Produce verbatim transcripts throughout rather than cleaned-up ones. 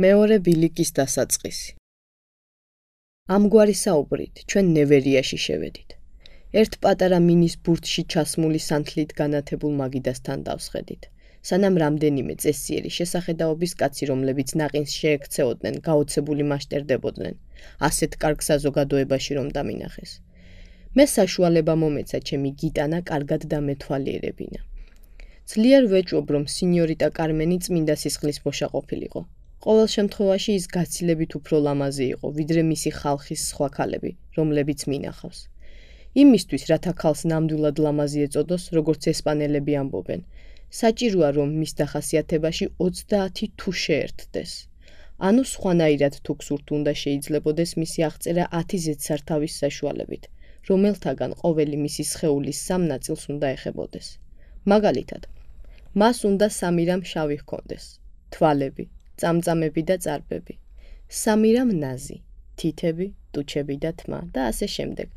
მეორე ბილიკის დასაწყისი. ამგვარი საუბრით ჩვენ ნევერიაში შევედით. ერთ პატარა მინის ბურთში ჩასმული სანთლით განათებულ მაგიდასთან დავსხედით. სანამ რამდენიმე წესიერი შესახედაობის კაცი, რომლებიც ნაყინს შეექცეოდნენ, გაოცებული მასტერდებოდნენ, ასეთ კარგ საზოგადოებაში რომ დამინახეს. მე საშუალება მომეცა ჩემი გიტანა კარგად დამეთვალიერებინა. ძლიერ ვეჭვობ, რომ სინიორიტა კარმენი წმინდა სისხლის მოშა ყოფილიყო. ყოველ შემთხვევაში ის გაცილებით უფრო ლამაზი იყო, ვიდრე მისი ხალხის სხვა ქალები, რომლებიც მინახავს. იმისთვის, რათა ქალს ნამდვილად ლამაზი ეწოდოს, როგორც ესპანელები ამბობენ, საჭიროა, რომ მის დახასიათებაში ოცდაათი თუ შეერთდეს. ანუ სხვანაირად თუ გსურთ უნდა შეიძლებოდეს მისი აღწერა ათი ზედსართავის საშუალებით, რომელთაგან ყოველი მისი სხეულის სამ ნაწილს უნდა ეხებოდეს. მაგალითად, მას უნდა სამი რამ შავი ჰქონდეს, თვალები, წამწამები და წარბები, სამი რამ ნაზი, თითები, ტუჩები და თმა და ასე შემდეგ.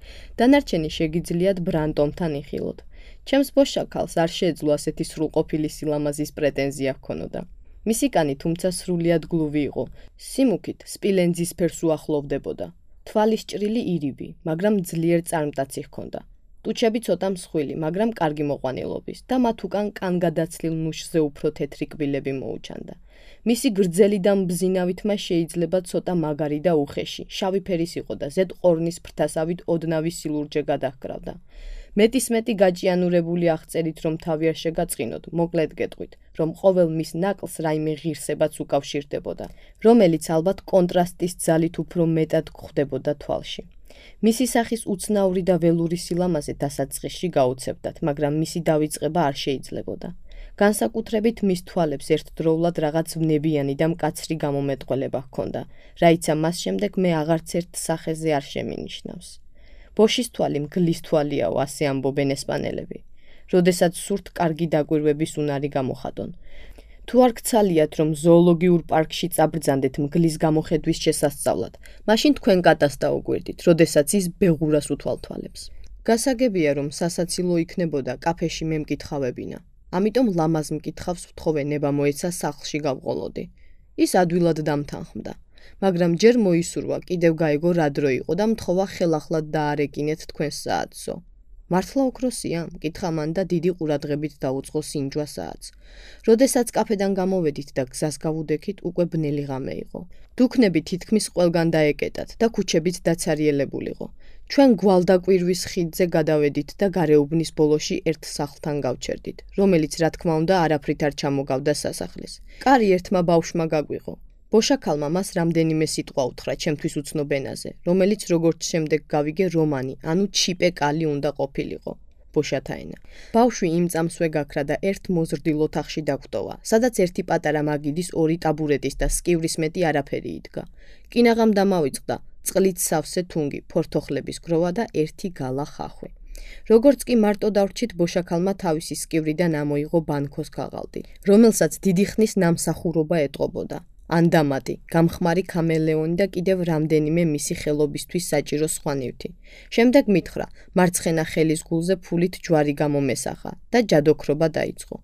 დანარჩენი შეგიძლიათ ბრანტომთან იხილოთ. ჩემს ბოშაქალს არ შეეძლო ასეთი სრულყოფილი სილამაზის პრეტენზია ჰქონოდა. მისი კანი თუმცა სრულიად გლუვი იყო, სიმუქით სპილენძის ფერს უახლოვდებოდა. თვალის ჭრილი ირიბი, მაგრამ ძლიერ წარმტაცი ჰქონდა. ტუჩები ცოტა მსხვილი, მაგრამ კარგი მოყვანილობის და მათ უკან კანგადაცლილ ნუშზე უფრო თეთრი კბილები მოუჩანდა. მისი გრძელი და მბზინავი თმა შეიძლება ცოტა მაგარი და უხეში, შავი ფერის იყო და ზედ ყორნის ფრთასავით ოდნავი სილურჯე გადაჰკრავდა. მეტისმეტი გაჭიანურებული აღწერით, რომ თავი არ შეგაწყინოთ, მოკლედ გეტყვით, რომ ყოველ მის ნაკლს რაიმე ღირსებაც უკავშირდებოდა, რომელიც ალბათ კონტრასტის ძალით უფრო მეტად გვხვდებოდა თვალში. მისი სახის უცნაური და ველური სილამაზე დასაწყისში გაუცებდათ, მაგრამ მისი დავიწყება არ შეიძლებოდა. განსაკუთრებით მის თვალებს ერთდროულად რაღაც ვნებიანი და მკაცრი გამომეტყველება ჰქონდა, რაიცა მას შემდეგ მე აღარც ერთ სახეზე არ შემინიშნავს. ბოშის თვალი მგლის თვალიაო, ასე ამბობენ ესპანელები. როდესაც სურთ კარგი დაკვირვების უნარი გამოხატონ. თუ არ გცალიათ, რომ ზოოლოგიურ პარკში წაბრძანდეთ მგლის გამოხედვის შესასწავლად, მაშინ თქვენ კატას დაუკვირდით, როდესაც ის ბეღურას უთვალთვალებს. გასაგებია, რომ სასაცილო იქნებოდა კაფეში მე მკითხავებინა. ამიტომ ლამაზ მკითხავს ვთხოვე ნება მოეცა სახლში გავყოლოდი. ის ადვილად დამთანხმდა. მაგრამ ჯერ მოისურვა, კიდევ გაეგო რა დრო იყო და მთხოვა ხელახლად დაარეკინეთ თქვენს საათსო. მართლა ოქროსია? მკითხა მან და დიდი ყურადღებით დაუწყო სინჯვა საათს. როდესაც კაფედან გამოვედით და გზას გავუდექით, უკვე ბნელი ღამე იყო. დუქნები თითქმის ყველგან დაეკეტათ და ქუჩებიც დაცარიელებულიყო. ჩვენ გვალდაკვირვის ხიდზე გადავედით და გარეუბნის ბოლოში ერთ სახლთან გავჩერდით, რომელიც რა თქმა უნდა არაფრით არ ჩამოგავდა სასახლის. კარი ერთმა ბავშვმა გაგვიღო. ბოშაქალმა მას რამდენიმე სიტყვა უთხრა ჩემთვის უცნობ ენაზე, რომელიც როგორც შემდეგ გავიგე რომანი, ანუ ჩიპე კალი უნდა ყოფილიყო. ბოშათა ენა. ბავშვი იმ წამსვე გაქრა და ერთ მოზრდილ ოთახში დაგვტოვა, სადაც ერთი პატარა მაგიდის ორი ტაბურეტის და სკივრის მეტი არაფერი იდგა. კინაღამ დამავიწყდა წყლით სავსე თუნგი, ფორთოხლების გროვა და ერთი გალა ხახვი. როგორც კი მარტო დავრჩით, ბოშაქალმა თავისი სკივრიდან ამოიღო ბანქოს ქაღალდი, რომელსაც დიდი ხნის ნამსახურობა ეტყობოდა. ანდამატი, გამხმარი ქამელეონი და კიდევ რამდენიმე მისი ხელობისთვის საჭირო სხვა ნივთი. შემდეგ მითხრა, მარცხენა ხელის გულზე ფულით ჯვარი გამომესახა და ჯადოქრობა დაიწყო.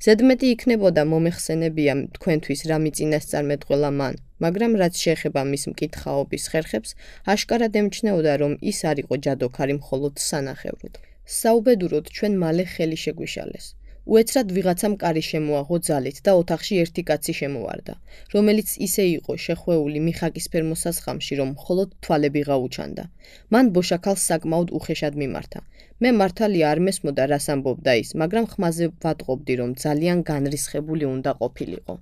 ზედმეტი იქნებოდა მომეხსენებია თქვენთვის რა მიწინასწარმეტყველა მან, მაგრამ რაც შეეხება მის მკითხაობის ხერხებს, აშკარად ემჩნეოდა, რომ ის არ იყო ჯადოქარი მხოლოდ სანახევროდ. საუბედუროდ ჩვენ მალე ხელი შეგვიშალეს. უეცრად ვიღაცამ კარი შემოაღო ძალით და ოთახში ერთი კაცი შემოვარდა, რომელიც ისე იყო შეხვეული მიხაკისფერ მოსასხამში, რომ მხოლოდ თვალები გაუჩანდა. მან ბოშაქალს საკმაოდ უხეშად მიმართა. მე მართალია არ მესმოდა რას ამბობდა ის, მაგრამ ხმაზე ვატყობდი, რომ ძალიან განრისხებული უნდა ყოფილიყო.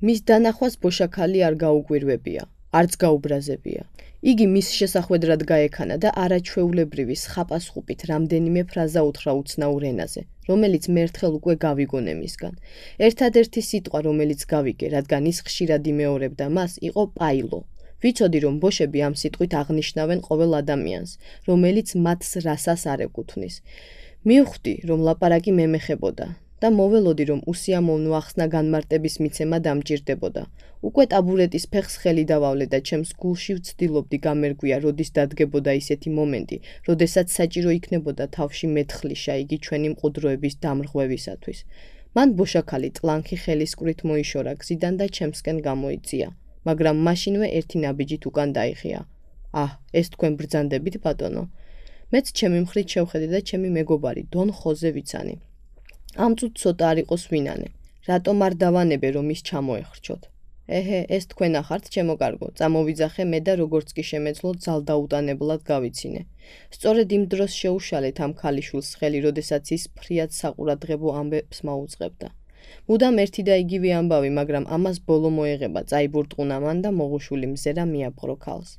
მის დანახვას ბოშაქალი არ გაუკვირვებია, არც გაუბრაზებია. იგი მის შესახვედრად გაექანა და არაჩვეულებრივი სხაპასხუპით რამდენიმე ფრაზა უთხრა უცნაურ ენაზე, რომელიც მე ერთხელ უკვე გავიგონე მისგან. ერთადერთი სიტყვა, რომელიც გავიგე, რადგან ის ხშირად იმეორებდა მას, იყო პაილო. ვიცოდი, რომ ბოშები ამ სიტყვით აღნიშნავენ ყოველ ადამიანს, რომელიც მათს რასას არ ეკუთვნის. მივხვდი, რომ ლაპარაკი მე მეხებოდა და მოველოდი, რომ უსიამოვნო ახსნა განმარტების მიცემა დამჭირდებოდა. უკვე ტაბურეტის ფეხს ხელი დავავლე და ჩემს გულში ვცდილობდი გამერგვია, როდის დადგებოდა ისეთი მომენტი, როდესაც საჭირო იქნებოდა თავში მეთხლიშა იგი ჩვენი მყუდროების დამრღვევისათვის. მან ბოშაქალი ტლანქი ხელისკვრით მოიშორა გზიდან და ჩემსკენ გამოიწია. მაგრამ მაშინვე ერთი ნაბიჯით უკან დაიხია. აჰ, ეს თქვენ ბრძანდებით, ბატონო. მეც ჩემი მხრით შევხედე და ჩემი მეგობარი დონ ხოზე ვიცანი. ამ წუთს ცოტა არ იყოს ვინანე. რატომ არ დავანებე რომ ის ჩამოეხრჩოთ? ეჰე, ეს თქვენ ახართ, ჩემო კარგო, წამოვიძახე მე და როგორც კი შემეძლო ძალდაუტანებლად გავიცინე. სწორედ იმ დროს შეუშალეთ ამ ქალიშვილს ხელი, როდესაც ის ფრიად საყურადღებო ამბებს მაუწყებდა. მუდამ ერთი და იგივე ამბავი, მაგრამ ამას ბოლო მოეღება, წაიბურტყუნა მან და მოღუშვილი მზერა მიაბყრო ქალს.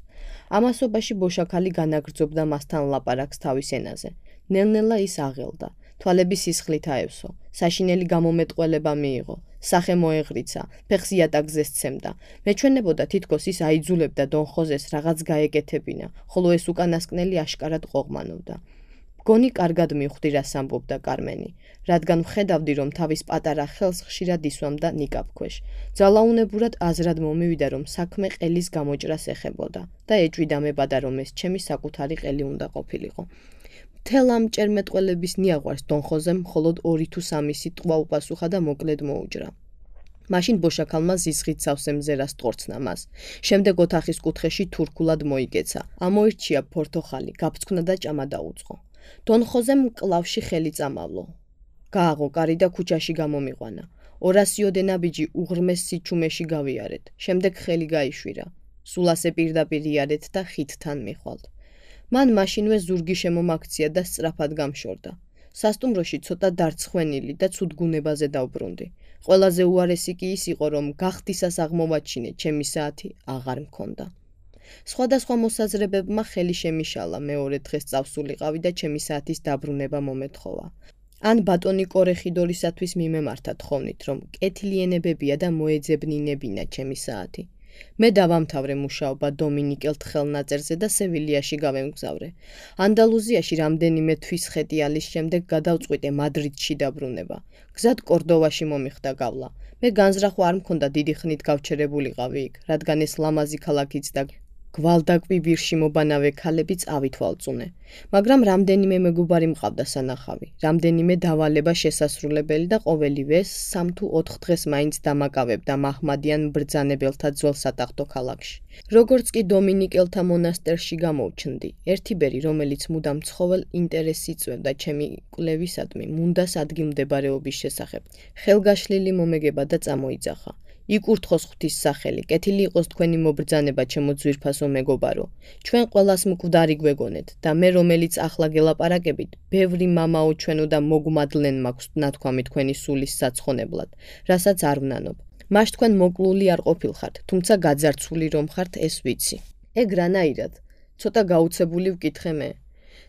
ამასობაში ბოშაქალი განაგრძობდა მასთან ლაპარაკს თავის ენაზე. ნელ-ნელა ის აღელდა. თვალები სისხლით აევსო, საშინელი გამომეტყველება მიიღო, სახე მოეღრიცა, ფეხს იატაკზე სცემდა. მეჩვენებოდა თითქოს ის აიძულებდა დონ ხოზეს რაღაც გაეკეთებინა, ხოლო ეს უკანასკნელი აშკარად ყოღმანობდა. მგონი კარგად მივხვდი რას ამბობდა კარმენი, რადგან ვხედავდი რომ თავის პატარა ხელს ხშირად ისვამდა ნიკაპქვეშ. ძალაუნებურად აზრად მომივიდა რომ საქმე ყელის გამოჭრას ეხებოდა და ეჭვიდა მებადა რომ ეს ჩემი საკუთარი ყელი უნდა ყოფილიყო. მთელ ამ ჭერმეტყველების ნიაღვარს დონ ხოზემ მხოლოდ ორი თუ სამი სიტყვა უპასუხა და მოკლედ მოუჯრა. მაშინ ბოშაქალმა ზიზღით სავსე მზერას ტყორცნა მას. შემდეგ ოთახის კუთხეში თურქულად მოიგეცა. ამოირჩია ფორთოხალი, გაფრთხნა და ჭამა დაუწყო. დონ ხოზემ კლავში ხელი წამავლო. გააღო კარი და ქუჩაში გამომიყვანა. ორასიოდე ნაბიჯი უღრმეს სიჩუმეში გავიარეთ. შემდეგ ხელი გაიშვირა. სულ ასე პირდაპირ იარეთ და ხიდთან მიხვალთ. მან მაშინვე ზურგი შემომაქცია და სწრაფად გამშორდა. სასტუმროში ცოტა დარცხვენილი და ცუდგუნებაზე დავბრუნდი. ყველაზე უარესი კი ის იყო, რომ გახდისას აღმოვაჩინე, ჩემი საათი აღარ მქონდა. სხვადასხვა მოსაზრებებმა ხელი შემიშალა, მეორე დღეს წავსულიყავი და ჩემი საათის დაბრუნება მომეთხოვა. ან ბატონი კორეხიდორისათვის მიმემართა თხოვნით, რომ კეთილიანებებია და მოეძებნინებინა ჩემი საათი. მე დავამთავრე მუშაობა დომინიკელთ ხელნაწერზე და სევილიაში გავემგზავრე. ანდალუზიაში რამდენიმე თვის ხეტიალის შემდეგ გადავწყვიტე მადრიდში დაბრუნება. გზად კორდოვაში მომიხდა გავლა. მე განზრახვა არ მქონდა დიდი ხნით გავჩერებულიყავი იქ, რადგან ეს ლამაზი ქალაქიც და გვალდაკვიბირში მობანავე ქალებიც ავითვალწუნე. მაგრამ რამდენიმე მეგობარი მყავდა სანახავი, რამდენიმე დავალება შესასრულებელი და ყოველივე სამ თუ ოთხ დღეს მაინც დამაკავებდა მაჰმადიან ბრძანებელთა ძველ სატახტო ქალაქში. როგორც კი დომინიკელთა მონასტერში გამოვჩნდი, ერთი ბერი, რომელიც მუდამ ცხოველ ინტერესს იწვევდა ჩემი კვლევისადმი, მუნდას ადგილმდებარეობის შესახებ, ხელგაშლილი მომეგება და წამოიძახა. იკურთხოს ღვთის სახელი, კეთილი იყოს თქვენი მობრძანება, ჩემო ძვირფასო მეგობარო. ჩვენ ყველას მკვდარი გვეგონეთ და მე რომელიც ახლა გელაპარაკებით, ბევრი მამაო ჩვენო და მოგმადლენ მაქვს ნათქვამი თქვენი სულის საცხონებლად, რასაც არ ვნანობ. მას თქვენ მოკლული არ ყოფილხართ, თუმცა გაძარცვული რომ ხართ, ეს ვიცი. ეგ რანაირად? ცოტა გაუცებული ვკითხე მე.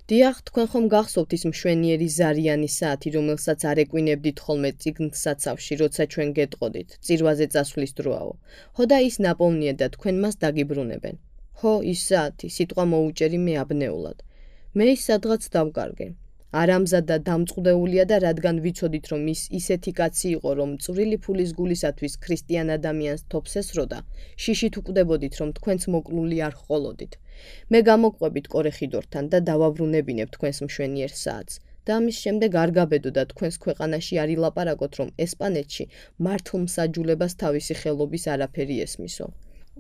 დიახ, თქვენ ხომ გახსოვთ ის მშვენიერი ზარიანი საათი, რომელსაც არ ეკვინებდით ხოლმე წიგნსაცავში, როცა ჩვენ გეტყოდით, წირვაზე წასვლის დროაო. ხო და ის ნაპოვნია და თქვენ მას დაგიბრუნებენ. ხო, ის საათი, სიტყვა მოუჭერი მე აბნეულად. მე ის სადღაც დავკარგე. არამზად და დამწყდეულია და რადგან ვიცოდით, რომ ის ისეთი კაცი იყო, რომ წვრილი ფულის გულისათვის ქრისტიან ადამიანს თოფს ესროდა, შიშით უკვდებოდით, რომ თქვენც მოკლული არ ჰყოლოდით. მე გამოგყვებით კორეხიდორთან და დავაბრუნებინებ თქვენს მშვენიერ საათს. და ამის შემდეგ არ გაბედოდა თქვენს ქვეყანაში არ ილაპარაკოთ, რომ ესპანეთში მართლმსაჯულებას თავისი ხელობის არაფერი ესმისო.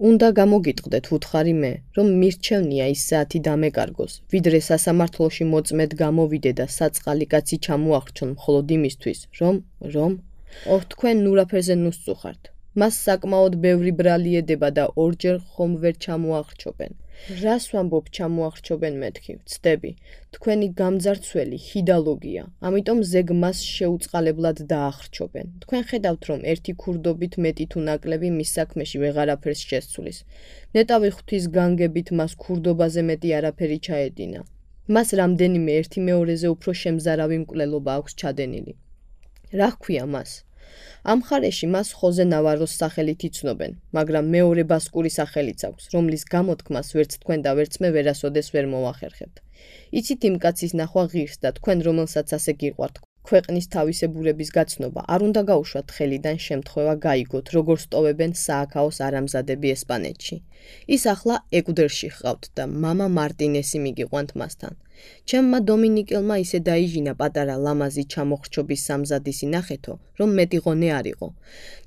უნდა გამოგიტყდეთ, ვუთხარი მე, რომ მირჩევნია ის საათი დამეკარგოს, ვიდრე სასამართლოში მოწმედ გამოვიდე და საწყალი კაცი ჩამოახრჩონ მხოლოდ იმისთვის, რომ, რომ, ოჰ, თქვენ ნურაფერზე ნუსწუხართ. მას საკმაოდ ბევრი ბრალი ედება და ორჯერ ხომ ვერ ჩამოახრჩობენ. რას ვამბობ ჩამოახრჩობენ მეთქი, ვცდები, თქვენი გამძარცველი ჰიდალოგია, ამიტომ ზეგ მას შეუწყალებლად დაახრჩობენ. თქვენ ხედავთ, რომ ერთი ქურდობით მეტი თუ ნაკლები მის საქმეში ვეღარაფერს შესცulis. ნეტავი ღვთის განგებით მას ქურდობაზე მეტი არაფერი ჩაედინა. მას რამდენიმე ერთი მეორეზე უფრო შემზარავი მკვლელობა აქვს ჩადენილი. რა ჰქვია მას? ამ მხარეში მას ხოზე ნავაროს სახელით იცნობენ, მაგრამ მეორე ბასკური სახელიც აქვს, რომლის გამოთქმას ვერც თქვენ და ვერც მე ვერასოდეს ვერ მოვახერხებთ. იცით იმ კაცის ნახვა ღირს და თქვენ რომელსაც ასე გიყვართ, ქვეყნის თავისებურების გაცნობა არ უნდა გაუშვათ ხელიდან შემთხვევა გაიგოთ, როგორ სტოვებენ სააქაოს არამზადები ესპანეთში. ის ახლა ეკვდერში ჰყავთ და მამა მარტინესი მიგიყვანთ მასთან. ჩემმა დომინიკელმა ისე დაიჟინა პატარა ლამაზი ჩამოხრჩობის სამზადისი ნახეთო, რომ მეტი ღონე არ იყო.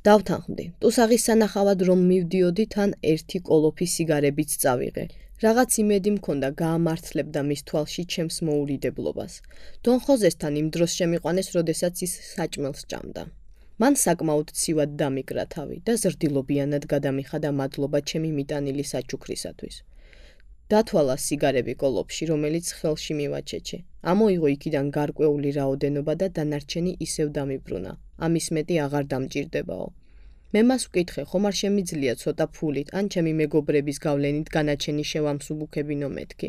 დავთანხმდი, ტუსაღის სანახავად რომ მივდიოდი, თან ერთი კოლოფი სიგარებიც წავიღე. რაღაც იმედი მქონდა გაამართლებდა მის თვალში ჩემს მოურიდებლობას. დონ ხოზესთან იმ დროს შემიყვანეს, როდესაც ის საჭმელს ჭამდა. მან საკმაოდ ცივად დამიკრა თავი და ზრდილობიანად გადამიხადა მადლობა ჩემი მიტანილი საჩუქრისათვის. დათვალა სიგარები კოლოფში, რომელიც ხელში მივაჩეჩე. ამოიღო იქიდან გარკვეული რაოდენობა და დანარჩენი ისევ დამიბრუნა. ამის მეტი აღარ დამჭირდებაო. მე მას ვკითხე, ხომ არ შემიძლია ცოტა ფულით, ან ჩემი მეგობრების გავლენით განაჩენი შევამსუბუქებინო მეთქი.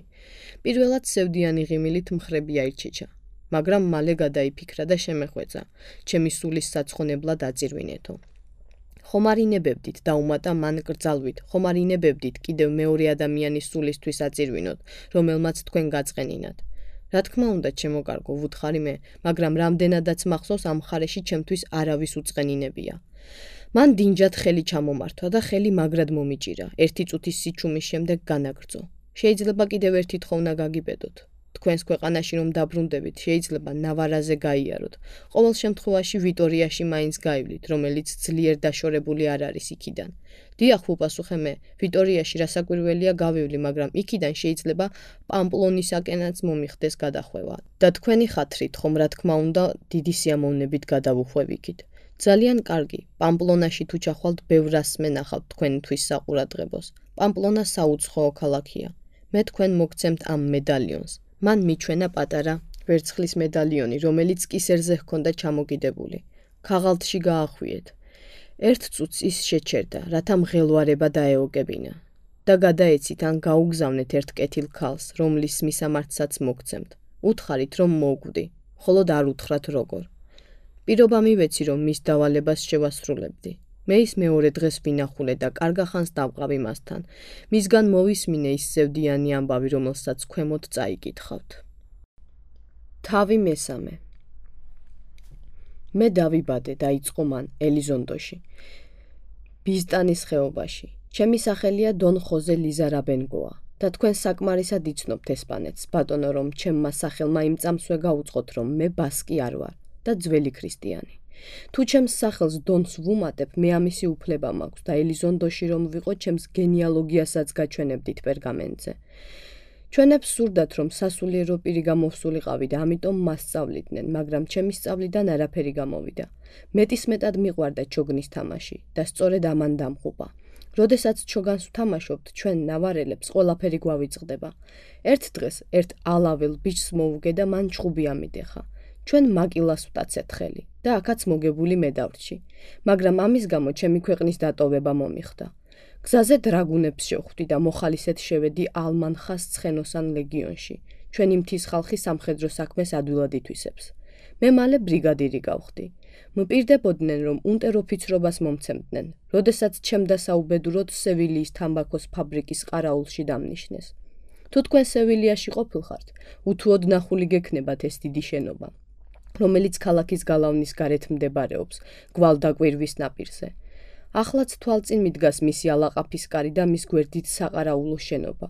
პირველად სევდიანი ღიმილით მხრები აირჩეჩა, მაგრამ მალე გადაიფიქრა და შემეხვეწა, ჩემი სულის საცხონებლად აწირვინეთო. ხომ არ ინებებდით დაუმატა მან კრძალვით, ხომ არ ინებებდით კიდევ მეორე ადამიანის სულისთვის აწირვინოთ, რომელმაც თქვენ გაწყენინათ. რა თქმა უნდა, ჩემო კარგო, ვუთხარი მე, მაგრამ რამდენადაც მახსოვს ამ მხარეში ჩემთვის არავის უწყენინებია. მან დინჯად ხელი ჩამომართვა და ხელი მაგრად მომიჭირა. ერთი წუთის სიჩუმის შემდეგ განაგრძო. შეიძლება კიდევ ერთი თხოვნა გაგიბედოთ. თქვენს ქვეყანაში რომ დაბრუნდებით, შეიძლება ნავარაზე გაიაროთ. ყოველ შემთხვევაში ვიტორიაში მაინც გაივლით, რომელიც ძლიერ დაშორებული არ არის იქიდან. დიახ, უპასუხე მე, ვიტორიაში რასაკვირველია გავივლი, მაგრამ იქიდან შეიძლება პამპლონისაკენაც მომიხდეს გადახვევა. და თქვენი ხათრით, ხომ რა თქმა უნდა, დიდი სიამოვნებით გადავუხვევიქით. ძალიან კარგი, პამპლონაში თუ ჩახვალთ, ბევრ რას მენახავთ თქვენთვის საყურადღებოს. პამპლონა საუცხოო ქალაქია. მე თქვენ მოგცემთ ამ მედალიონს. მან მიჩვენა პატარა ვერცხლის მედალიონი, რომელიც კისერზე ჰქონდა ჩამოკიდებული. ქაღალდში გაახვიეთ. ერთ წუთს ის შეჩერდა, რათა მღელვარება დაეოგებინა. და გადაეცით ან გაუგზავნეთ ერთ კეთილ ქალს, რომლის მისამართსაც მოგცემთ. უთხარით, რომ მოვკვდი, მხოლოდ არ უთხრათ როგორ. პირობა მივეცი, რომ მის დავალებას შევასრულებდი. მე ის მეორე დღეს ვინახულე და კარგახანს დავყავი მასთან. მისგან მოვისმინე ის სევდიანი ამბავი, რომელსაც ქვემოთ წაიკითხავთ. თავი მესამე. მე დავიბადე, დაიწყო მან ელიზონდოში, ბიზტანის ხეობაში. ჩემი სახელია დონ ხოზე ლიზარაბენგოა და თქვენ საკმარისად იცნობთ ესპანეთს, ბატონო, რომ ჩემმა სახელმა იმ წამსვე გაუწყოთ, რომ მე ბასკი არ ვარ და ძველი ქრისტიანი. თუ ჩემს სახელს დონს ვუმატებ, მე ამისი უფლება მაქვს და ელიზონდოში რომ ვიყო, ჩემს გენეალოგიასაც გაჩვენებდით პერგამენტზე. ჩვენებს სურდათ, რომ სასულიერო პირი გამოვსულიყავი და ამიტომ მასწავლიდნენ, მაგრამ ჩემი სწავლიდან არაფერი გამოვიდა. მეტისმეტად მიყვარდა ჩოგნის თამაში და სწორედ ამან დამხუპა. როდესაც ჩოგანს ვთამაშობთ, ჩვენ ნავარელებს ყველაფერი გვავიწყდება. ერთ დღეს ერთ ალაվել ბიჭს მოვუგე და მან ჩხუბი ამიდეხა. ჩვენ მაკილას ვტაცეთ ხელი და აქაც მოგებული მედავრჩი, მაგრამ ამის გამო ჩემი ქვეყნის დატოვება მომიხდა. გზაზე დრაგუნებს შევხვდი და მოხალისედ შევედი ალმანხას ცხენოსან ლეგიონში. ჩვენი მთის ხალხი სამხედრო საქმეს ადვილად ითვისებს. მე მალე ბრიგადირი გავხდი. მპირდებოდნენ, რომ უნტერ-ოფიცრობას მომცემდნენ, როდესაც ჩემდა საუბედუროდ სევილიის თამბაქოს ფაბრიკის ყარაულში დამნიშნეს. თუ თქვენ სევილიაში ყოფილხართ, უთუოდ ნახული გექნებათ ეს დიდი შენობა, რომელიც ქალაქის გალავნის გარეთ მდებარეობს, გვალდაკვირვის ნაპირზე. ახლაც თვალწინ მიდგას მისი ალაყაფის კარი და მის გვერდით საყარაულო შენობა.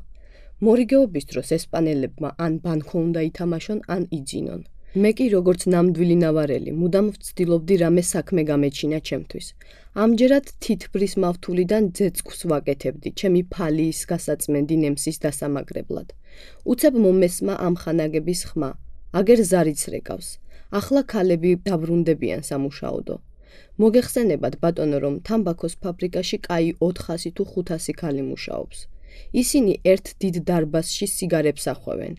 მორიგეობის დროს ესპანელებმა ან ბანკო უნდა ითამაშონ, ან იძინონ. მე კი როგორც ნამდვილი ნავარელი, მუდამ ვცდილობდი რამე საქმე გამეჩინა ჩემთვის. ამჯერად თითბრის მავთულიდან ძეწქვს ვაკეთებდი, ჩემი ფალიის გასაწმენდი ნემსის დასამაგრებლად. უცებ მომესმა ამ ხანაგების ხმა, აგერ ზარიც რეკავს. ახლა ქალები დაბრუნდებიან სამუშაოდო. მოგეხსენებათ, ბატონო, რომ თამბაქოს ფაბრიკაში კაი ოთხასი თუ ხუთასი ქალი მუშაობს. ისინი ერთ დიდ დარბაზში სიგარებს ახვევენ.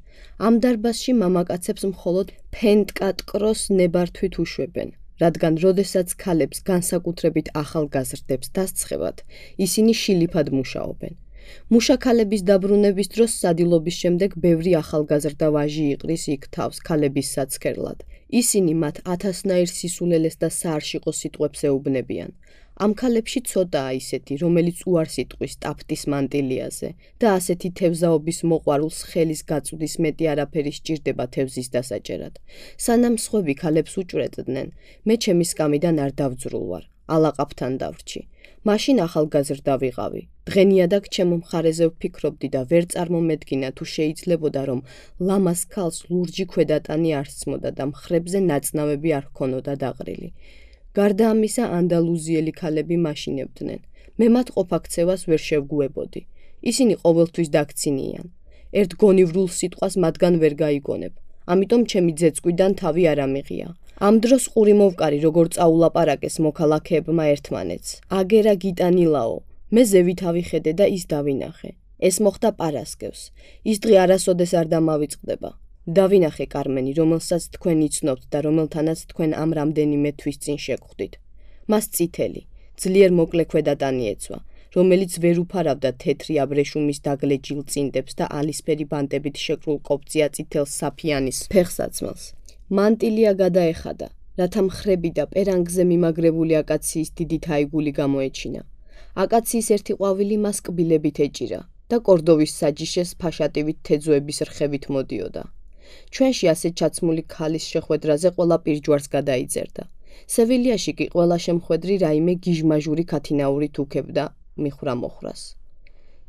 ამ დარბაზში მამაკაცებს მხოლოდ ფენტკატკროს ნებართვით უშვებენ, რადგან როდესაც ქალებს განსაკუთრებით ახალგაზრდებს დასცხებათ, ისინი შილიფად მუშაობენ. მუშაქალების დაბრუნების დროს სადილობის შემდეგ ბევრი ახალგაზრდა ვაჟი იყრის იქ თავს ქალების საცქერლად. ისინი მათ ათასნაირ სისულელეს და საარშიყო სიტყვებს ეუბნებიან. ამ ქალებში ცოტაა ისეთი, რომელიც უარს იტყვის ტაფტის მანტილიაზე და ასეთი თევზაობის მოყვარულს ხელის გაწვდის მეტი არაფერი სჭირდება თევზის დასაჭერად. სანამ სხვები ქალებს უჭვრეტდნენ, მე ჩემი სკამიდან არ დავძრულ ვარ, ალაყაფთან დავრჩი. მაშინ ახალგაზრდა ვიყავი. დღენიადაგ ჩემო მხარეზე ვფიქრობდი და ვერ წარმომედგინა თუ შეიძლებოდა რომ ლამას ქალს ლურჯი ქვედატანი არ სცმოდა და მხრებზე ნაწნავები არ ჰქონოდა დაყრილი. გარდა ამისა ანდალუზიელი ქალები მაშინებდნენ. მე მათ ყოფაქცევას ვერ შევგუებოდი. ისინი ყოველთვის დაქცინიან. ერთ გონივრულ სიტყვას მათგან ვერ გაიგონებ. ამიტომ ჩემი ძეწყვიდან თავი არ ამიღია. ამ დროს ყური მოვკარი როგორ წაულაპარაკეს მოქალაქეებმა ერთმანეთს. აგერა გიტანილაო, მე ზევით ავიხედე და ის დავინახე. ეს მოხდა პარასკევს. ის დღე არასოდეს არ დამავიწყდება. დავინახე კარმენი, რომელსაც თქვენ იცნობთ და რომელთანაც თქვენ ამ რამდენიმე თვის წინ შეგხვდით. მას წითელი, ძლიერ მოკლე ქვედატანი ეცვა, რომელიც ვერ უფარავდა თეთრი აბრეშუმის დაგლეჯილ წინდებს და ალისფერი ბანტებით შეკრულ კოპწია წითელ საფიანის ფეხსაცმელს. მანტილია გადაეხადა, რათა მხრები და პერანგზე მიმაგრებული აკაციის დიდი თაიგული გამოეჩინა. აკაციის ერთი ყვავილი მას კბილებით ეჭირა და კორდოვის საჯიშეს ფაშატივით თეძოების რხევით მოდიოდა. ჩვენში ასეთ ჩაცმული ქალის შეხვედრაზე ყველა პირჯვარს გადაიძერდა. სევილიაში კი ყველა შემხვედრი რაიმე გიჟმაჟური ქათინაურით უქებდა მიხრა მოხრას.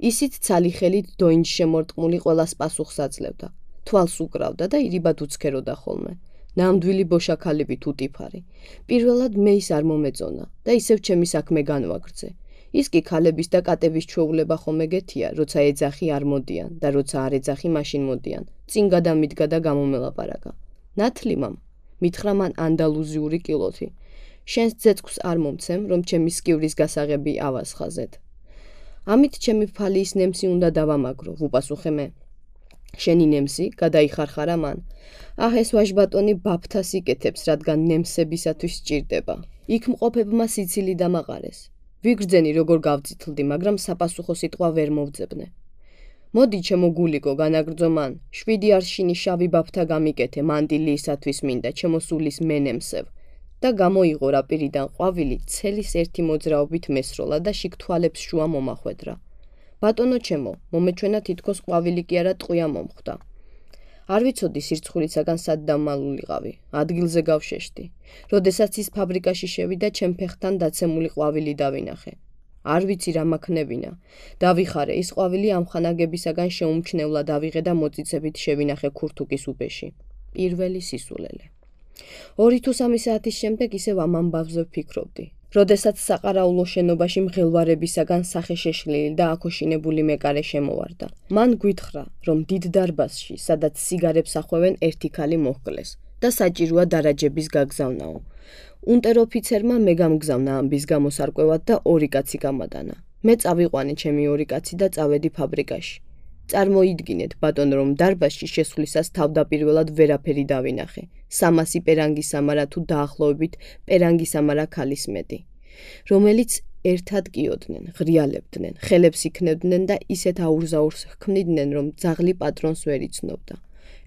ისიც ცალი ხელით დოინჯ შემორტყმული ყველას პასუხს აძლევდა. თვალს უკრავდა და ირიბად უცქეროდა ხოლმე. ნამდვილი ბოშაქალებით უტიფარი. პირველად მე ის არ მომეწონა და ისევ ჩემი საქმე განვაგრძე. ის კი ქალების და კატების ჩვეულება ხომ ეგეთია, როცა ეძახი არ მოდიან და როცა არ ეძახი მაშინ მოდიან. წინ გადამიდგა და გამომელაპარაკა. ნათლი მამ, მითხრა მან ანდალუზიური კილოთი. შენს ძეწქვს არ მომცემ, რომ ჩემი სკივრის გასაღები ავასხაზეთ. ამით ჩემი ფალის ნემსი უნდა დავამაგრო, ვუპასუხე მე. შენი ნემსი, გადაიხარხარა მან. აჰ, ეს ვაჟბატონი ბაფთას იკეთებს, რადგან ნემსებისათვის სჭირდება. იქ მყოფებმა სიცილი დამაყარეს. ვიგრძენი როგორ გავწითლდი, მაგრამ საპასუხო სიტყვა ვერ მოვძებნე. მოდი ჩემო გულიკო, განაგრძო მან, შვიდი არშინი შავი ბაფთა გამიკეთე მანტილიისათვის მინდა, ჩემო სულის მენემსევ. და გამოიღო რა პირიდან ყვავილი ცელის ერთი მოძრაობით მესროლა და შიგ თვალებს შუა მომახვედრა. ბატონო ჩემო, მომეჩვენა თითქოს ყვავილი კი არა ტყვია მომხვდა. არ ვიცოდი სირცხულისაგან სად დამალულიყავი, ადგილზე გავშეშდი. როდესაც ის ფაბრიკაში შევიდა, ჩემ ფეხთან დაცემული ყვავილი დავინახე. არ ვიცი რა მაქნებინა. დავიხარე, ის ყვავილი ამ ხანაგებისაგან შეუმჩნევლად ავიღე და მოწიწებით შევინახე ქურთუკის უბეში. პირველი სისულელე. ორი თუ სამი საათის შემდეგ ისევ ამ ამბავზე ვფიქრობდი. როდესაც საყარაულო შენობაში მღელვარებისაგან სახე შეშლილი და აკოშინებული მეკარე შემოვარდა. მან გვითხრა, რომ დიდ დარბაზში, სადაც სიგარებს ახვევენ, ერთი ქალი მოჰკლეს და საჭიროა დარაჯების გაგზავნაო. უნტეროფიცერმა მე გამგზავნა ამბის გამოსარკვევად და ორი კაცი გამადანა. მე წავიყვანე ჩემი ორი კაცი და წავედი ფაბრიკაში. წარმოიდგინეთ, ბატონ, რომ დარბაზში შესვლისას თავდაპირველად ვერაფერი დავინახე. სამასი პერანგის ამარა თუ დაახლოებით პერანგის ამარა ქალის მეტი, რომელიც ერთად კიოდნენ, ღრიალებდნენ, ხელებს იქნებდნენ და ისეთ აურზაურს ჰქმნიდნენ, რომ ძაღლი პატრონს ვერ იცნობდა.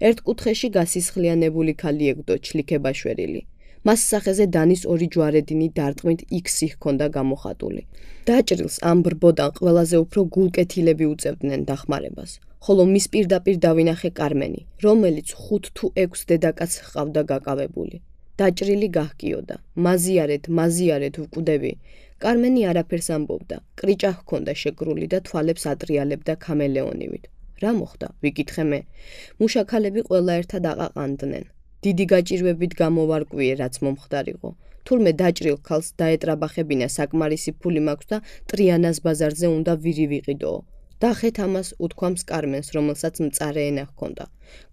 ერთ კუთხეში გასისხლიანებული ქალი ეგდო ჩლიქებაშვერილი. მას სახეზე დანის ორი ჯვარედინი დარტყმით იქსი ჰქონდა გამოხატული. დაჭრილს ამ ბრბოდან ყველაზე უფრო გულკეთილები უწევდნენ დახმარებას, ხოლო მის პირდაპირ დავინახე კარმენი, რომელიც ხუთ თუ ექვს დედაკაც ჰყავდა გაკავებული. დაჭრილი გაჰკიოდა, მაზიარეთ, მაზიარეთ ვკვდები. კარმენი არაფერს ამბობდა, კრიჭა ჰქონდა შეკრული და თვალებს ატრიალებდა ქამელეონივით. რა მოხდა? ვიკითხე მე. მუშაქალები ყველა ერთად აყაყანდნენ. დიდი გაჭირვებით გამოვარკვიე, რაც მომხდარიყო. თურმე დაჭრილ ქალს დაეტრაბახებინა საკმარისი ფული მაქვს და ტრიანას ბაზარზე უნდა ვირი ვიყიდოო. დახეთ ამას უთქვამს კარმენს, რომელსაც მწარე ენა ჰქონდა.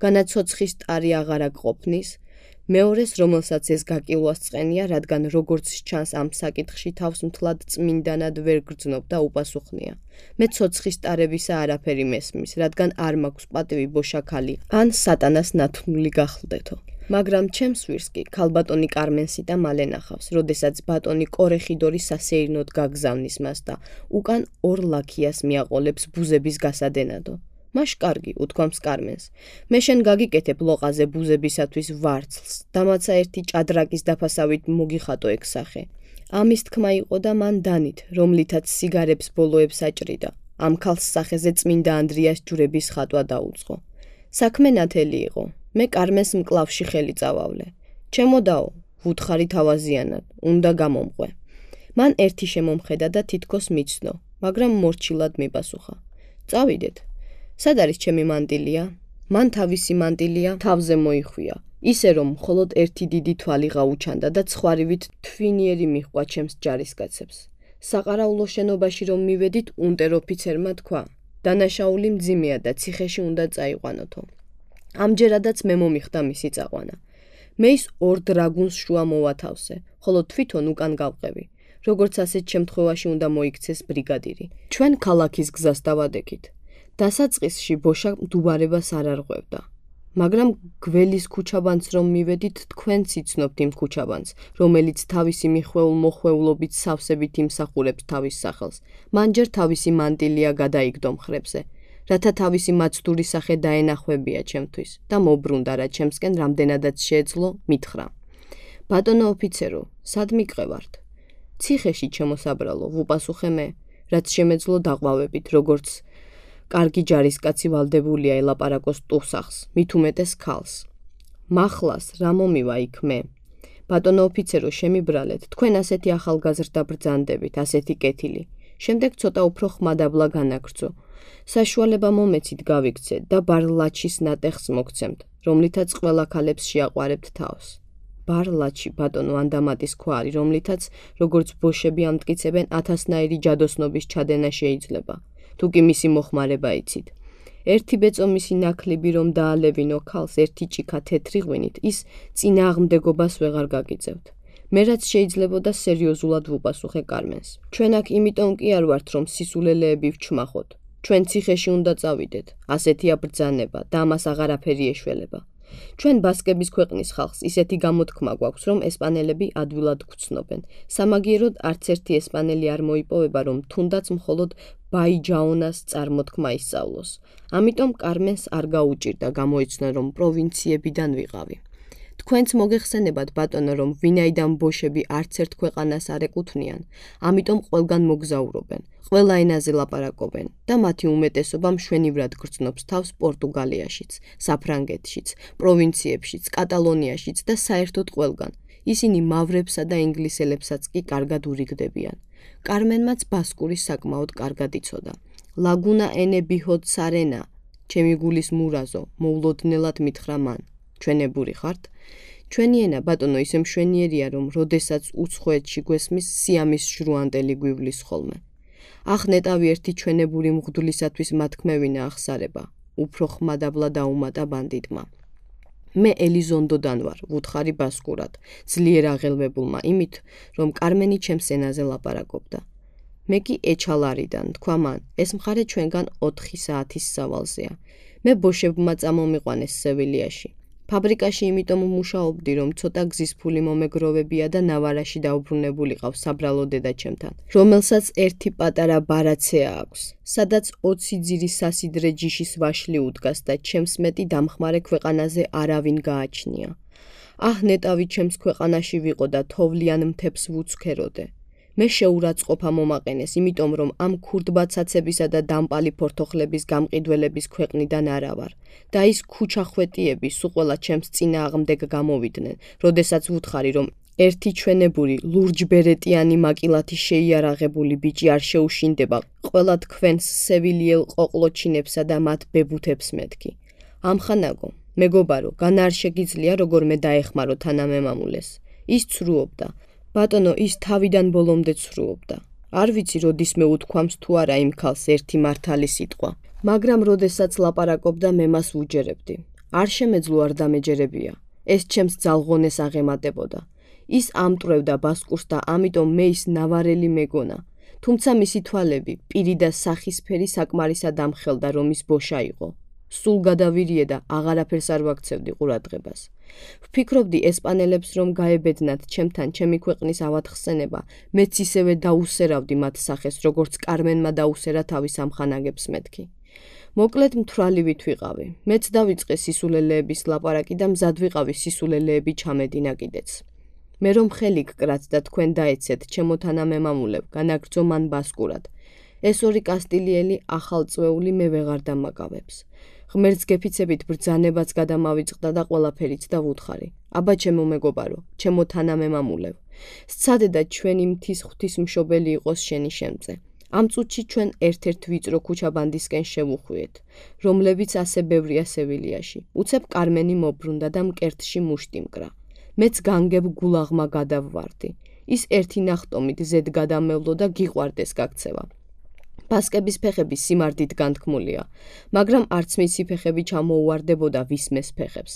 განაცოცხის ტარი აღარა გყოფნის, მეორეს, რომელსაც ეს გაკილვას წყენია, რადგან როგორც ჩანს ამ საკითხში თავს მთლად წმინდანად ვერ გრძნობ და უპასუხნია. მე ცოცხის ტარებისა არაფერი მესმის, რადგან არ მაქვს პატივი ბოშაქალი ან სატანას ნათნული გახლდეთო. მაგრამ ჩემს ვირს კი ქალბატონი კარმენსი და მალე ნახავს, როდესაც ბატონი კორეხიდორი სასეირნოდ გაგზავნის მას და უკან ორ ლაქიას მიაყოლებს ბუზების გასადენადო. მაშ კარგი, უთქვამს კარმენს. მე შენ გაგიკეთებ ლოყაზე ბუზებისათვის ვარცლს, დამაცა ერთი ჭადრაკის დაფასავით მოგიხატო ეგ სახე. ამის თქმა იყო და მან დანით, რომლითაც სიგარებს ბოლოებს აჭრიდა. ამ ქალს სახეზე წმინდა ანდრიას ჯვრების ხატვა დაუწყო. საქმე ნათელი იყო. მე კარმენს მკლავში ხელი წავავლე. ჩემოდაო, ვუთხარი თავაზიანად, უნდა გამომყვე. მან ერთი შემომხედა და თითქოს მიცნო, მაგრამ მორჩილად მიპასუხა. წავიდეთ. სად არის ჩემი მანტილია? მან თავისი მანტილია თავზე მოიხვია. ისე რომ მხოლოდ ერთი დიდი თვალი გაუჩანდა და ცხვარივით თვინიერი მიჰყვა ჩემს ჯარისკაცებს. საყარაულო შენობაში რომ მივედით, უნტერ ოფიცერმა თქვა: დანაშაული მძიმეა და ციხეში უნდა წაიყვანოთო. ამჯერადაც მე მომიხდა მისი წაყვანა. მე ის ორ დრაგუნს შუა მოვათავსე, ხოლო თვითონ უკან გავყევი. როგორც ასეთ შემთხვევაში უნდა მოიქცეს ბრიგადირი. ჩვენ ქალაქის გზას დავადექით. დასაწყისში ბოშა მდუბარებას არ არღვევდა. მაგრამ გველის ქუჩაბანს რომ მივედით, თქვენც იცნობთ იმ ქუჩაბანს, რომელიც თავისი მიხვეულ მოხვეულობით სავსებით იმსახურებს თავის სახელს. მან ჯერ თავისი მანტილია გადაიგდო მხრებზე, რათა თავისი მაცდური სახე დაენახვებია ჩემთვის და მობრუნდა რა ჩემსკენ რამდენადაც შეეძლო მითხრა. ბატონო ოფიცერო, სად მიყევართ? ციხეში ჩემოსაბრალო, ვუპასუხე მე, რაც შემეძლო დაყვავებით, როგორც კარგი ჯარისკაცი ვალდებულია ელაპარაკოს ტუსახს, მით უმეტეს ქალს. მახლას რა მომივა იქ მე? ბატონო ოფიცერო, შემიბრალეთ, თქვენ ასეთი ახალგაზრდა ბრძანდებით, ასეთი კეთილი. შემდეგ ცოტა უფრო ხმადაბლა განაგრძო. საშუალება მომეცით გავიქცეთ და ბარლაჩის ნატეხს მოგცემთ, რომლითაც ყველა ქალებს შეაყვარებთ თავს. ბარლაჩი, ბატონო, ანდამატის ქვა არის, რომლითაც, როგორც ბოშები ამტკიცებენ, ათასნაირი ჯადოსნობის ჩადენა შეიძლება. თუ კი მისი მოხმარება იცით. ერთი ბეწო მისი ნაკლები რომ დაალევინო ქალს ერთი ჭიქა თეთრი ღვინით, ის წინააღმდეგობას ვეღარ გაგიწევთ. მე რაც შეიძლებოდა სერიოზულად ვუპასუხე კარმენს. ჩვენ აქ იმიტომ კი არ ვართ, რომ სისულელეები ვჩმახოთ. ჩვენ ციხეში უნდა წავიდეთ. ასეთია ბრძანება და ამას აღარაფერი ეშველება. ჩვენ ბასკების ქვეყნის ხალხს ისეთი გამოთქმა გვაქვს, რომ ესპანელები ადვილად გვცნობენ. სამაგიეროდ არც ერთი ესპანელი არ მოიპოვება, რომ თუნდაც მხოლოდ ბაიჯაონას წარმოთქმა ისწავლოს. ამიტომ კარმენს არ გაუჭირდა გამოიცნო, რომ პროვინციებიდან ვიყავი. თქვენც მოგეხსენებათ, ბატონო, რომ ვინაიდან ბოშები არც ერთ ქვეყანას არ ეკუთვნიან, ამიტომ ყველგან მოგზაურობენ, ყველა ენაზე ლაპარაკობენ და მათი უმეტესობა მშვენივრად გრძნობს თავს პორტუგალიაშიც, საფრანგეთშიც, პროვინციებშიც, კატალონიაშიც და საერთოდ ყველგან. ისინი მავრებსა და ინგლისელებსაც კი კარგად ურიგდებიან. კარმენმაც ბასკური საკმაოდ კარგად იცოდა. ლაგუნა ენე ბიჰოდ სარენა, ჩემი გულის მურაზო, მოულოდნელად მითხრა მან. ჩვენებური ხართ? ჩვენი ენა, ბატონო, ისე მშვენიერია, რომ როდესაც უცხოეთში გვესმის სიამის ჟრუანტელი გვივლის ხოლმე. ახ ნეტავი ერთი ჩვენებური მღვდლისათვის მათქმევინა ახსარება, უფრო ხმადაბლა დაუმატა ბანდიტმა. მე ელიზონდოდან ვარ, ვუთხარი ბასკურად, ძლიერ აღელვებულმა იმით, რომ კარმენი ჩემს ენაზე ლაპარაკობდა. მე კი ეჩალარიდან, თქვა მან, ეს მხარე ჩვენგან ოთხი საათის სავალზეა. მე ბოშებმა წამომიყვანეს სევილიაში. ფაბრიკაში იმიტომ მუშაობდი, რომ ცოტა გზის ფული მომეგროვებია და ნავარაში დაუბრუნებულიყავ საბრალო დედაჩემთან, რომელსაც ერთი პატარა ბარაცეა აქვს, სადაც ოცი ძირის სასიდრე ჯიშის ვაშლი უდგას და ჩემს მეტი დამხმარე ქვეყანაზე არავინ გააჩნია. აჰ, ნეტავი ჩემს ქვეყანაში ვიყო და თოვლიან მთებს ვუცქეროდე. მე შეურაცხყოფა მომაყენეს, იმიტომ რომ ამ ქურდბაცაცებისა და დამპალი ფორთოხლების გამყიდველების ქვეყნიდან არა ვარ. და ის ქუჩახვეტიები სულ ყველა ჩემს წინააღმდეგ გამოვიდნენ, როდესაც ვუთხარი, რომ ერთი ჩვენებური ლურჯბერეტიანი მაკილათი შეიარაღებული ბიჭი არ შეუშინდება ყველა თქვენს სევილიელ ყოყლოჩინებსა და მათ ბებუთებს მეთქი. ამხანაგო, მეგობარო, განა არ შეგიძლია როგორმე დაეხმარო თანამემამულეს. ის ცრუობდა. ბატონო, ის თავიდან ბოლომდე ცრუობდა. არ ვიცი, როდისმე უთქვამს თუ არა იმ ქალს ერთი მართალი სიტყვა, მაგრამ როდესაც ლაპარაკობდა, მე მას ვუჯერებდი. არ შემეძლო არ დამეჯერებია. ეს ჩემს ძალღონეს აღემატებოდა. ის ამტვრევდა ბასკურს და ამიტომ მე ის ნავარელი მეგონა. თუმცა მისი თვალები, პირი და სახისფერი საკმარისად ამხელდა, რომ ის ბოშა იყო. სულ გადავირიე და აღარაფერს არ ვაქცევდი ყურადღებას. ვფიქრობდი ესპანელებს რომ გაებედნათ ჩემთან ჩემი ქვეყნის ავათხსენება, მეც ისევე დაუსერავდი მათ სახეს, როგორც კარმენმა დაუსერა თავის ამხანაგებს მეთქი. მოკლედ მთვრალივით ვიყავი. მეც დავიწყე სისულელეების ლაპარაკი და მზად ვიყავი სისულელეები ჩამედინა კიდეც. მე რომ ხელი გკრათ და თქვენ დაეცეთ ჩემო თანამემამულებ, განაგრძო მან ბასკურად. ეს ორი კასტილიელი ახალწვეული მე ვეღარ დამაკავებს. ღმერთს გეფიცებით ბრძანებაც გადამავიწყდა და ყველაფერიც დავუთხარი. აბა ჩემო მეგობარო, ჩემო თანამემამულებ. სცადე და ჩვენი მთის ღვთისმშობელი იყოს შენი შემწე. ამ წუთში ჩვენ ერთ-ერთ ვიწრო ქუჩაბანდისკენ შევუხვიეთ, რომლებიც ასე ბევრია სევილიაში. უცებ კარმენი მობრუნდა და მკერდში მუშტი მკრა. მეც განგებ გულაღმა გადავვარდი. ის ერთი ნახტომით ზედ გადამევლო და გიყვარდეს გაქცევა. ბასკების ფეხები სიმარდით განთქმულია, მაგრამ არც მისი ფეხები ჩამოუვარდებოდა ვისმეს ფეხებს.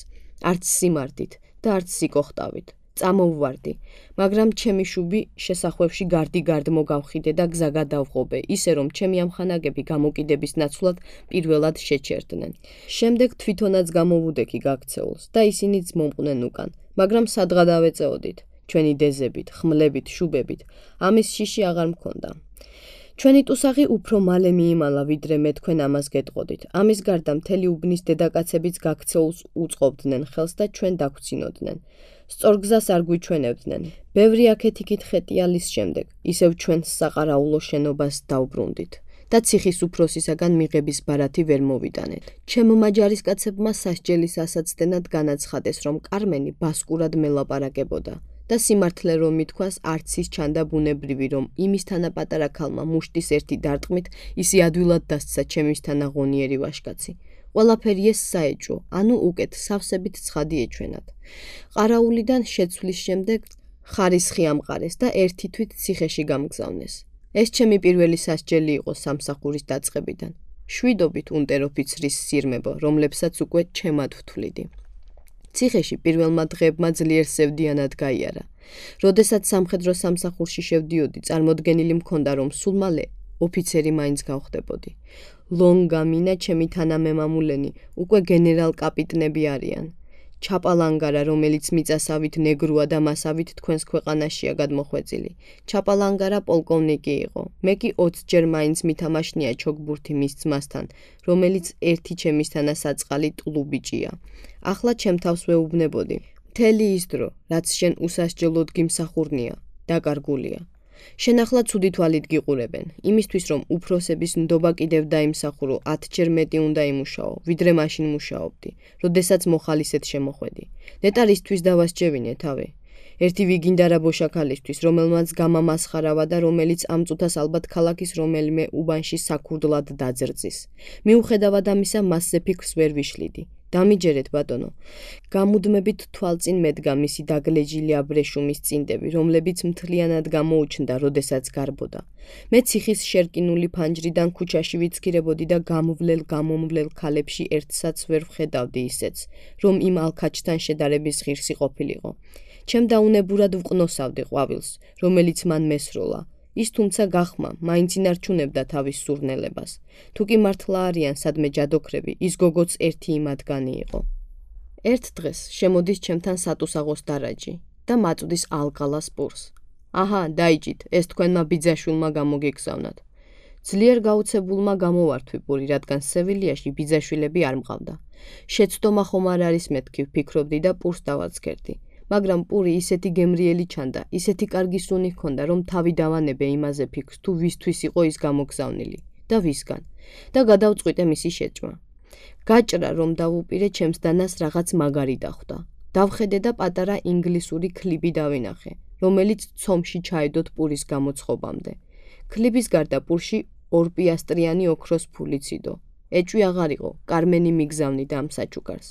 არც სიმარდით და არც სიკოხტავით. წამოვვარდი, მაგრამ ჩემი შუბი შესახვევში გარდი-გარდ მოგავხიდე და გზა გადავღობე, ისე რომ ჩემი ამხანაგები გამოკიდების ნაცვლად პირველად შეჩერდნენ. შემდეგ თვითონაც გამოვუდექი გაქცეულს და ისინიც მომყვნენ უკან, მაგრამ სადღა დავეწეოდით, ჩვენი დეზებით, ხმლებით, შუბებით, ამის შიში აღარ მქონდა. ჩვენი ტუსაღი უფრო მალე მიიმალა, ვიდრე მე თქვენ ამას გეტყოდით. ამის გარდა მთელი უბნის დედაკაცებიც გაქცეულს უწყობდნენ ხელს და ჩვენ დაგვცინოდნენ. სწორ გზას არ გვიჩვენებდნენ. ბევრი აქეთ-იქით ხეტიალის შემდეგ, ისევ ჩვენს საყარაულო შენობას დავბრუნდით და ციხის უფროსისაგან მიღების ბარათი ვერ მოვიტანეთ. ჩემმა ჯარისკაცებმა სასჯელის ასაცდენად განაცხადეს, რომ კარმენი ბასკურად მელაპარაკებოდა. და სიმართლე რომ მithქვას, არც ის ჩანდა ბუნებრივი, რომ იმისთანა პატარა ქალმა მუშტის ერთი დარტყმით ისი ადვილად დასცა ჩემისთანა ღონიერი ვაშკაცი. ყველაფერი ეს საეჭვო, ანუ უკეთ სავსებით ცხადი ეჩვენათ. ყარაულიდან შეცვლის შემდეგ ხარისხი ამყარეს და ერთი თვით ციხეში გამგზავნეს. ეს ჩემი პირველი სასჯელი იყო სამსახურის დაწყებიდან. შვიდობით უნტერ-ოფიცრის სირმებო, რომლებსაც უკვე ჩემად ვთვლიდი. ციხეში პირველმა დღეებმა ძლიერ სევდიანად გაიარა. როდესაც სამხედრო სამსახურში შევდიოდი, წარმოდგენილი მქონდა, რომ სულ მალე ოფიცერი მაინც გავხდებოდი. ლონგამინა, ჩემი თანამემამულენი, უკვე გენერალ-კაპიტნები არიან. ჩაპალანგარა, რომელიც მიწასავით ნეგრუა და მასავით თქვენს ქვეყანაშია გადმოხვეწილი. ჩაპალანგარა პოლკოვნიკი იყო. მე კი ოცჯერ მაინც მითამაშნია ჩოგბურთი მის ძმასთან, რომელიც ერთი ჩემისთანა საწყალი ტლუბიჭია. ახლა ჩემ თავს ვეუბნებოდი. მთელი ის დრო, რაც შენ უსასჯელოდ გიმსახურნია, დაკარგულია. შენ ახლა ცუდი თვალით გიყურებენ, იმისთვის რომ უფროსების ნდობა კიდევ დაიმსახურო, ათჯერ მეტი უნდა იმუშაო, ვიდრე მაშინ მუშაობდი, როდესაც მოხალისედ შემოხვედი. ნეტარისთვის დავასჯევინე თავი. ერთი ვიგინდარა ბოშაქალისთვის, რომელმაც გამამასხარავა და რომელიც ამ წუთას ალბათ ქალაქის რომელიმე უბანში საქურდლად დაძრწის. მიუხედავად ამისა, მასზე ფიქრს ვერ ვიშლიდი. დამიჯერეთ ბატონო. გამუდმებით თვალწინ მედგა მისი დაგლეჯილი აბრეშუმის წინდები, რომლებიც მთლიანად გამოუჩნდა, როდესაც გარბოდა. მე ციხის შერკინული ფანჯრიდან ქუჩაში ვიცქირებოდი და გამოვლელ-გამომვლელ ქალებში ერთსაც ვერ ვხედავდი ისეც, რომ იმ ალქაჩთან შედარების ღირსი ყოფილიყო. ჩემ დაუნებურად ვყნოსავდი ყვავილს, რომელიც მან მესროლა. ის თუმცა გახმა, მაინც ინარჩუნებდა თავის სურნელებას. თუ კი მართლა არიან სადმე ჯადოქრები, ის გოგოც ერთი იმათგანი იყო. ერთ დღეს შემოდის ჩემთან სატუსაღოს დარაჯი და მაწვდის ალყალას პურს. აჰა, დაიჭით, ეს თქვენმა ბიძაშვილმა გამოგიგზავნათ. ძლიერ გაუცებულმა გამოვართვი პური, რადგან სევილიაში ბიძაშვილები არ მყავდა. შეცდომა ხომ არ არის მეთქი ვფიქრობდი და პურს დავაცქერდი. მაგრამ პური ისეთი გემრიელი ჩანდა, ისეთი კარგი სუნი ჰქონდა, რომ თავი დავანებე იმაზე ფიქრს, თუ ვისთვის იყო ის გამოგზავნილი და ვისგან და გადავწყვიტე მისი შეჭმა. გაჭრა რომ დავუპირე ჩემს დანას რაღაც მაგარი დახვდა. დავხედე და პატარა ინგლისური კლიბი დავინახე, რომელიც ცომში ჩაედოთ პურის გამოცხობამდე. კლიბის გარდა პურში ორ პიასტრიანი ოქროს ფულიც იდო. ეჭვი აღარ იყო, კარმენი მიგზავნიდა ამ საჩუქარს.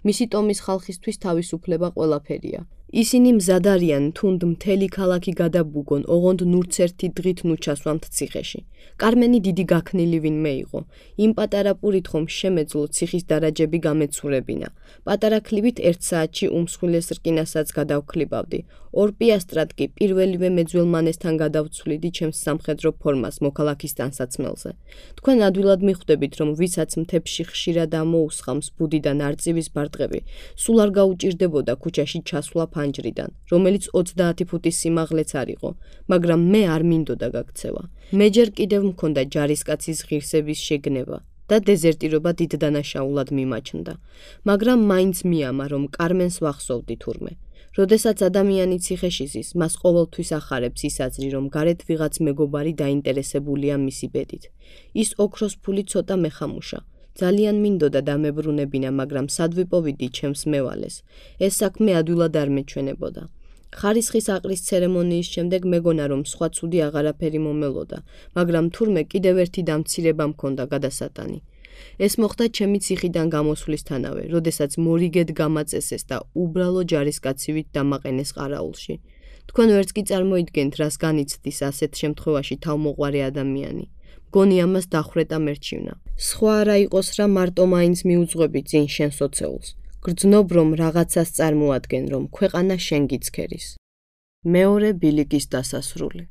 მისი ტომის ხალხისთვის თავისუფლება ყველაფერია. ისინი მზად არიან თუნდ მთელი ქალაქი გადაბუგონ, ოღონდ ნურც ერთი დღით ნუ ჩასვამთ ციხეში. კარმენი დიდი გაქნილი ვინმე იყო. იმ პატარა პურით ხომ შემეძლო ციხის დარაჯები გამეცურებინა. პატარა კლიბით ერთ საათში უმსხვილეს რკინასაც გადავქლიბავდი. ორ პიასტრად კი პირველივე მეძველმანესთან გადავცვლიდი ჩემს სამხედრო ფორმას მოქალაქის ტანსაცმელზე. თქვენ ადვილად მიხვდებით, რომ ვისაც მთებში ხშირად ამოუსხამს ბუდიდან არწივის ბარტყები, სულ არ გაუჭირდებოდა ქუჩაში ჩასვლა ფანჯრიდან, რომელიც ოცდაათი ფუტის სიმაღლეც არ იყო, მაგრამ მე არ მინდოდა გაქცევა. მე ჯერ კიდევ მქონდა ჯარისკაცის ღირსების შეგნება და დეზერტირობა დიდ დანაშაულად მიმაჩნდა, მაგრამ მაინც მიამა, რომ კარმენს ვახსოვდი თურმე. როდესაც ადამიანი ციხეში ზის, მას ყოველთვის ახარებს ის აზრი, რომ გარეთ ვიღაც მეგობარი დაინტერესებულია მისი ბედით. ის ოქროს ფული ცოტა მეხამუშა. ძალიან მინდოდა დამებრუნებინა, მაგრამ სად ვიპოვიდი ჩემს მევალეს. ეს საქმე ადვილად არ მეჩვენებოდა. ხარისხის აყრის ცერემონიის შემდეგ მეგონა, რომ სხვა ცუდი აღარაფერი მომელოდა, მაგრამ თურმე კიდევ ერთი დამცირება მქონდა გადასატანი. ეს მოხდა ჩემი ციხიდან გამოსვლისთანავე, როდესაც მორიგედ გამაწესეს და უბრალო ჯარისკაცივით დამაყენეს ყარაულში. თქვენ ვერც კი წარმოიდგენთ, რას განიცდის ასეთ შემთხვევაში თავმოყვარე ადამიანი. მგონი ამას დახვრეტა მერჩივნა. სხვა არა იყოს რა, მარტო მაინც მიუძღვები წინ შენ სოცეულს. გრძნობ, რომ რაღაცას წარმოადგენ, რომ ქვეყანა შენ გიცქერის. მეორე ბილიკის დასასრული.